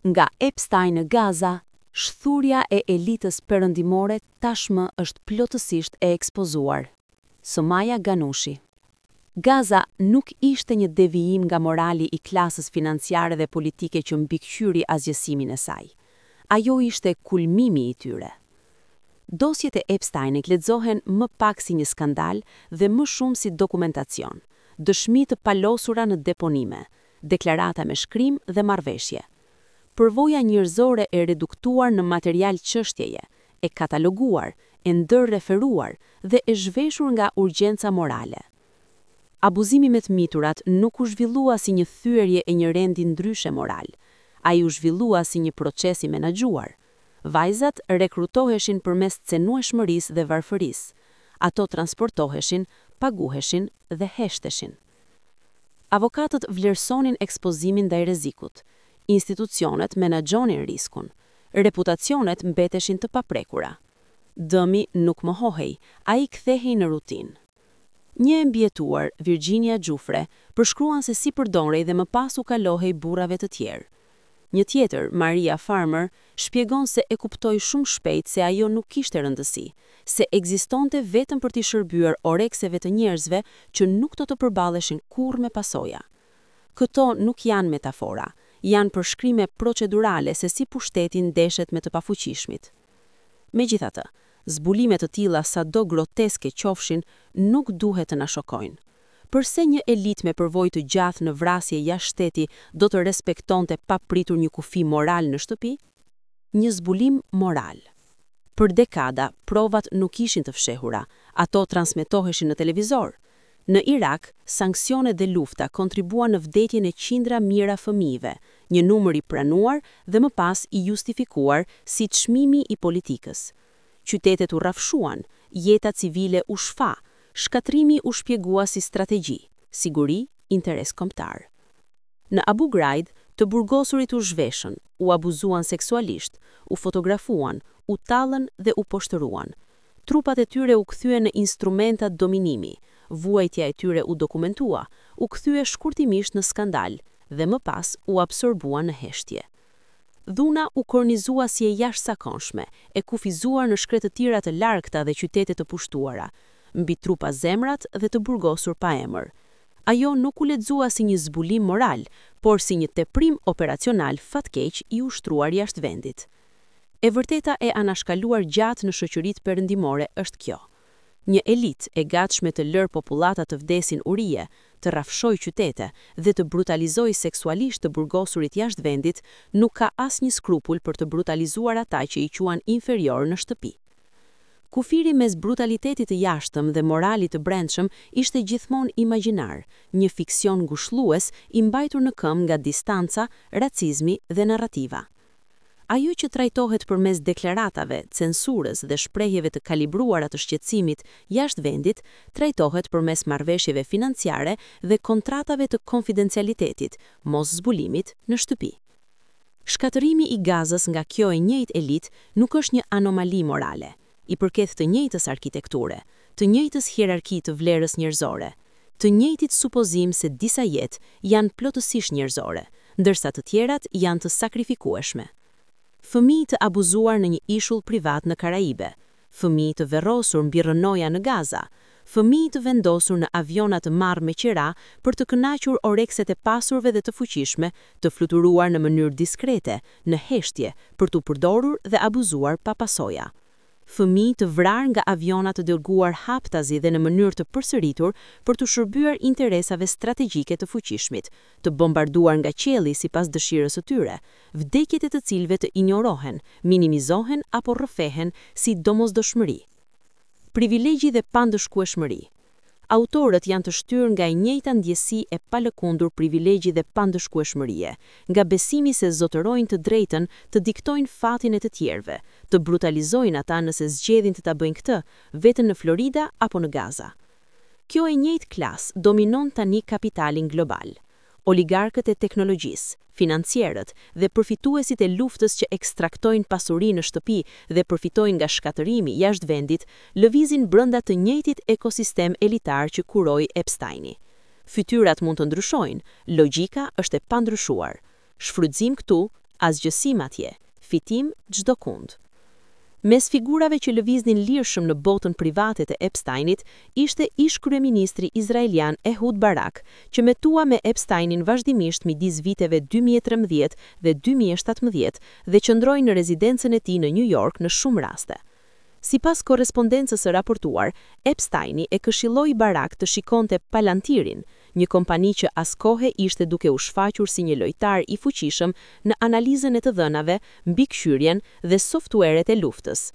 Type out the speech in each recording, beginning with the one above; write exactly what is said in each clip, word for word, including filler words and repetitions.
Nga Epstein në Gaza, shthurja e elitës perëndimore tashmë është plotësisht e ekspozuar. Somaja Ganushi. Gaza nuk ishte një devijim nga morali i klasës financiare dhe politike që mbikëqyri asgjësimin e saj. Ajo ishte kulmimi i tyre. Dosjet e Epsteinit lexohen më pak si një skandal dhe më shumë si dokumentacion, dëshmi të palosura në deponime, deklarata me shkrim dhe marrëveshje. Përvoja njerëzore e reduktuar në material çështjeje, e kataloguar, e ndërreferuar dhe e zhveshur nga urgjenca morale. Abuzimi me të miturat nuk u zhvillua si një thyerje e një rendi ndryshe moral. Ai u zhvillua si një proces i menaxhuar. Vajzat rekrutoheshin përmes cenueshmërisë dhe varfërisë. Ato transportoheshin, paguheshin dhe heshteshin. Avokatët vlerësonin ekspozimin ndaj rrezikut. Institucionet menaxhonin riskun. Reputacionet mbeteshin të paprekura. Dëmi nuk mohohej, ai kthehej në rutinë. Një e mbijetuar, Virginia Giuffre, përshkruan se si përdorej dhe më pas u kalohej burrave të tjerë. Një tjetër, Maria Farmer, shpjegon se e kuptoi shumë shpejt se ajo nuk kishte rëndësi, se ekzistonte vetëm për t'i shërbyer orekseve të njerëzve që nuk do të përballeshin kurrë me pasoja. Këto nuk janë metafora, janë përshkrime procedurale se si pushteti ndeshet me të pafuqishmit. Megjithatë, zbulime të tilla, sado groteske qofshin, nuk duhet të na shokojnë. Përse një elitë me përvojë të gjatë në vrasje jashtë shteti do të respektonte papritur një kufi moral në shtëpi? Një zbulim moral. Për dekada, provat nuk ishin të fshehura, ato transmetoheshin në televizor. Në Irak, sanksionet dhe lufta kontribuan në vdekjen e qindra mijëra fëmijëve, një numër i pranuar dhe më pas i justifikuar si çmimi i politikës. Qytetet u rrafshuan, jeta civile u shfa, shkatërrimi u shpjegua si strategji, siguri, interes kombëtar. Në Abu Ghraib, të burgosurit u zhveshën, u abuzuan seksualisht, u fotografuan, u tallën dhe u poshtëruan. Trupat e tyre u kthyen në instrumenta dominimi, vuajtja e tyre u dokumentua, u kthye shkurtimisht në skandal dhe më pas u absorbua në heshtje. Dhuna u kornizua si e jashtëzakonshme, e kufizuar në shkretëtira të largëta dhe qytete të pushtuara, mbi trupa zemrat dhe të burgosur pa emër. Ajo nuk u lexua si një zbulim moral, por si një teprim operacional fatkeq i ushtruar jashtë vendit. E vërteta e anashkaluar gjatë në shoqëritë perëndimore është kjo. Një elitë e gatshme të lërë popullata të vdesin urie, të rrafshojë qytete dhe të brutalizojë seksualisht të burgosurit jashtë vendit, nuk ka asnjë skrupull për të brutalizuar ata që i quan inferior në shtëpi. Kufiri mes brutalitetit të jashtëm dhe moralit të brendshëm ishte gjithmonë imagjinar, një fiksion ngushllues i mbajtur në këmbë nga distanca, racizmi dhe narrativa. Ajo që trajtohet përmes deklaratave, censurës dhe shprehjeve të kalibruara të shqetësimit jashtë vendit, trajtohet përmes marrëveshjeve financiare dhe kontratave të konfidencialitetit, mos zbulimit në shtëpi. Shkatërrimi i Gazës nga kjo e njëjtë elitë nuk është një anomali morale, i përket të njëjtës arkitekture, të njëjtës hierarki të vlerës njerëzore, të njëjtit supozim se disa jetë janë plotësisht njerëzore, ndërsa të tjerat janë të sakrifikueshme. Fëmijë të abuzuar në një ishull privat në Karaibe, fëmijë të varrosur mbi rrënoja në Gaza, fëmijë të vendosur në aviona të marrë me qira për të kënaqur orekset e pasurve dhe të fuqishme, të fluturuar në mënyrë diskrete, në heshtje, për t'u përdorur dhe abuzuar pa pasoja. Fëmijë të vrarë nga aviona të dërguar haptazi dhe në mënyrë të përsëritur për t'u shërbyer interesave strategjike të fuqishmit, të bombarduar nga qielli sipas dëshirës së tyre, vdekjet e të cilëve të injorohen, minimizohen apo rrëfehen si domosdoshmëri. Privilegji dhe pandëshkueshmëri. Autorët janë të shtyrë nga e njëjta ndjesi e palëkundur privilegji dhe pandëshkueshmërie, nga besimi se zotërojnë të drejtën të diktojnë fatin e të tjerëve, të brutalizojnë ata nëse zgjedhin të ta bëjnë këtë, vetëm në Florida apo në Gaza. Kjo e njëjtë klasë dominon tani kapitalin global. Oligarkët e teknologjisë, financierët dhe përfituesit e luftës që ekstraktojnë pasuri në shtëpi dhe përfitojnë nga shkatërrimi jashtë vendit, lëvizin brenda të njëjtit ekosistem elitar që kuroi Epsteini. Fytyrat mund të ndryshojnë, logjika është e pandryshuar. Shfrytëzim këtu, Asgjësim atje, fitim çdokund. Mes figurave që lëviznin lirshëm në botën private të Epsteinit ishte ish-kryeministri izraelian Ehud Barak, që metua me Epsteinin vazhdimisht midis viteve dy mijë e trembëdhjetë dhe dy mijë e shtatëmbëdhjetë dhe qëndroi në rezidencën e tij në New York në shumë raste. Sipas korrespondencës së raportuar, Epsteini e këshilloi Barak të shikonte Palantirin, një kompani që askohe ishte duke u shfaqur si një lojtar i fuqishëm në analizën e të dhënave, mbikëqyrjen dhe softueret e luftës.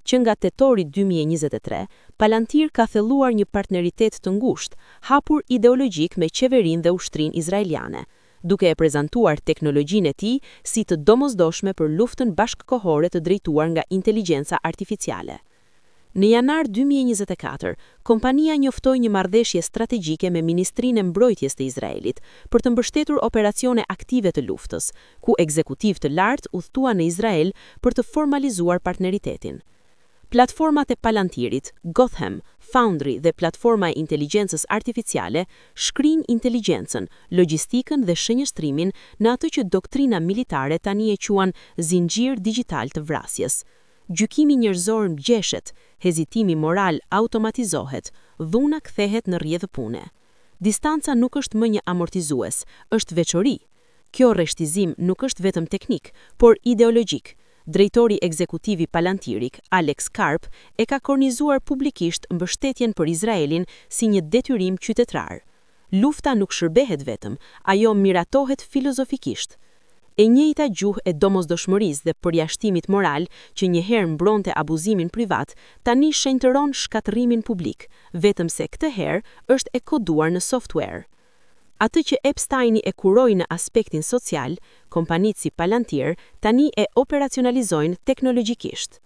Që nga tetori dy mijë e njëzet e tre, Palantir ka thelluar një partneritet të ngushtë, hapur ideologjik me qeverinë dhe ushtrinë izraeliane, duke e prezantuar teknologjinë e tij si të domosdoshme për luftën bashkëkohore të drejtuar nga inteligjenca artificiale. Në janar dy mijë e njëzet e katër, kompania njoftoi një marrëveshje strategjike me Ministrinë e Mbrojtjes të Izraelit për të mbështetur operacione aktive të luftës, ku ekzekutiv të lartë udhëtuan në Izrael për të formalizuar partneritetin. Platformat e Palantirit, Gotham, Foundry dhe platforma e inteligjencës artificiale shkrijnë inteligjencën, logjistikën dhe shënjestrimin në atë që doktrina militare tani e quan zinxhir digjital të vrasjes. Gjykimi njerëzor ngjeshet, hezitimi moral automatizohet, dhuna kthehet në rrjedhë pune. Distanca nuk është më një amortizues, është veçori. Kjo rreshtizim nuk është vetëm teknik, por ideologjik. Drejtori ekzekutiv i Palantirit, Alex Karp, e ka kornizuar publikisht mbështetjen për Izraelin si një detyrim qytetrar. Lufta nuk shërbehet vetëm, ajo miratohet filozofikisht. E njëjta gjuhë e domosdoshmërisë dhe përjashtimit moral që njëherë mbronte abuzimin privat, tani shenjtëron shkatërrimin publik, vetëm se këtë herë është e koduar në software. Atë që Epsteini e kuroi në aspektin social, kompanitë si Palantir tani e operacionalizojnë teknologjikisht.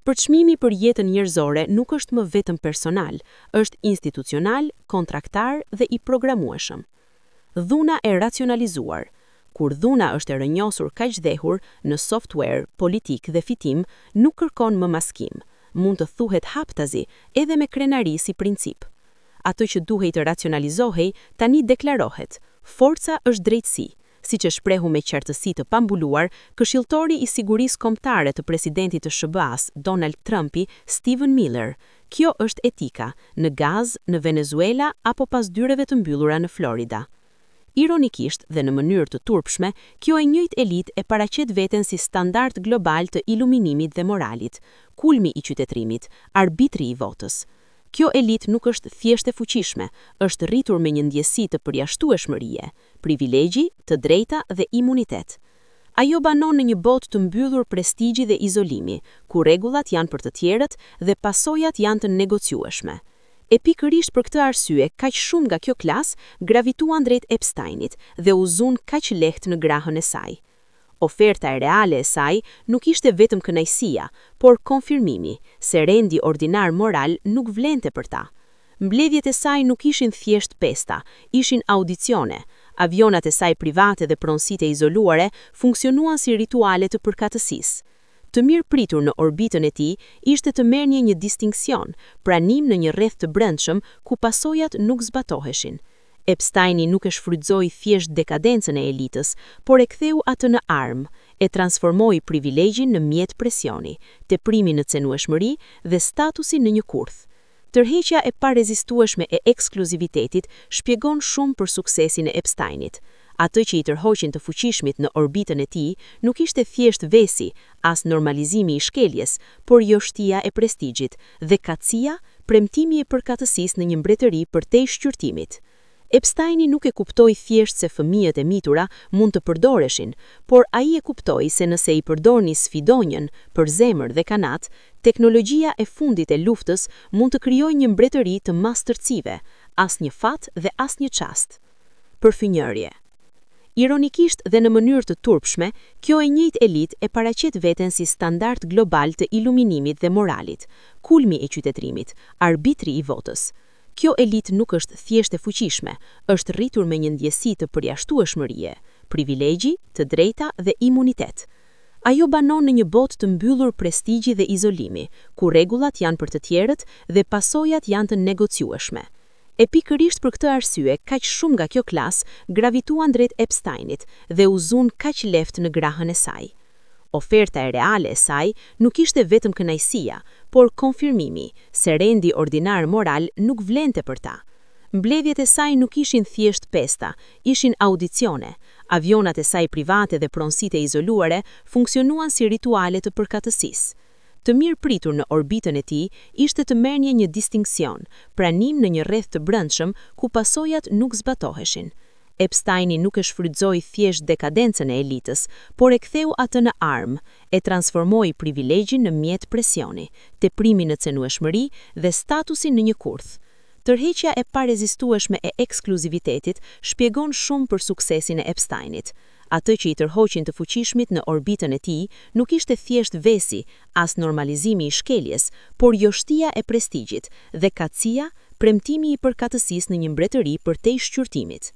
Përçmimi për jetën njerëzore nuk është më vetëm personal, është institucional, kontraktar dhe i programueshëm. Dhuna e racionalizuar. Kur dhuna është e rënjosur kaq dhehur në software, politikë dhe fitim, nuk kërkon më maskim. Mund të thuhet haptazi, edhe me krenari si princip. Atë që duhej të racionalizohej, tani deklarohet. Forca është drejtësi, siç e shprehu me qartësi të pambuluar këshilltori i sigurisë kombëtare të presidentit të S H B A-s, Donald Trumpi, Stephen Miller. Kjo është etika, në Gazë, në Venezuela apo pas dyreve të mbyllura në Florida. Ironikisht dhe në mënyrë të turpshme, kjo e njëjtë elitë e paraqet veten si standard global të iluminimit dhe moralit, kulmi i qytetërimit, arbitri i votës. Kjo elitë nuk është thjesht e fuqishme, është rritur me një ndjesi të përjashtueshmërie, privilegji, të drejta dhe imunitet. Ajo banon në një botë të mbyllur prestigji dhe izolimi, ku rregullat janë për të tjerët dhe pasojat janë të negociueshme. E pikërisht për këtë arsye, kaq shumë nga kjo klasë gravituan drejt Epsteinit dhe u zun kaq lehtë në grahën e saj. Oferta e reale e saj nuk ishte vetëm kënaqësia, por konfirmimi se rendi ordinar moral nuk vlente për ta. Mbledhjet e saj nuk ishin thjesht pesta, ishin audicione. Avionat e saj private dhe pronësitë e izoluare funksionuan si rituale të përkatësisë. Të mirë pritur në orbitën e tij ishte të merrnje një distinksion, pranim në një rreth të brendshëm ku pasojat nuk zbatoheshin. Epsteini nuk e shfrytëzoi thjesht dekadencën e elitës, por e ktheu atë në armë, e transformoi privilegjin në mjet presioni, teprimin në cenueshmëri dhe statusin në një kurth. Tërheqja e parezistueshme e ekskluzivitetit shpjegon shumë për suksesin e Epsteinit. Atë që i tërhoqin të fuqishmit në orbitën e tij nuk ishte thjesht vesi, as normalizimi i shkeljes, por joshtia e prestigjit dhe kacia, premtimi e përkatësisë në një mbretëri përtej shqyrtimit. Epsteini nuk e kuptoi thjesht se fëmijët e mitura mund të përdoreshin, por ai e kuptoi se nëse i përdorni sfidonjën për zemër dhe kanat, teknologjia e fundit e luftës mund të krijojë një mbretëri të mastërcive, asnjë fat dhe asnjë çast. Përfynjërje. Ironikisht dhe në mënyrë të turpshme, kjo e njëjtë elitë e paraqet veten si standard global të iluminimit dhe moralit, kulmi e qytetërimit, arbitri i votës. Kjo elitë nuk është thjesht e fuqishme, është rritur me një ndjesi të përjashtueshmërie, privilegji, të drejta dhe imunitet. Ajo banon në një botë të mbyllur prestigji dhe izolimi, ku rregullat janë për të tjerët dhe pasojat janë të negociueshme. E pikërisht për këtë arsye, kaq shumë nga kjo klasë gravituan drejt Epsteinit dhe u zunë kaq lehtë në grahën e saj. Oferta e reale e saj nuk ishte vetëm kënaqësia, por konfirmimi se rendi ordinar moral nuk vlente për ta. Mbledhjet e saj nuk ishin thjesht festa, ishin audicione. Avionat e saj private dhe pronësitë e izoluare funksionuan si rituale të përkatësisë. Të mirë pritur në orbitën e tij ishte të merrnje një distinksion, pranim në një rreth të brendshëm ku pasojat nuk zbatoheshin. Epsteini nuk e shfrytëzoi thjesht dekadencën e elitës, por e ktheu atë në armë, e transformoi privilegjin në mjet presioni, teprimin në cenueshmëri dhe statusin në një kurth. Tërheqja e parezistueshme e ekskluzivitetit shpjegon shumë për suksesin e Epsteinit. Atë që i tërhoqin të fuqishmit në orbitën e tij nuk ishte thjesht vesi, as normalizimi i shkeljes, por joshtia e prestigjit dhe kacia, premtimi i përkatësisë në një mbretëri përtej shqyrtimit.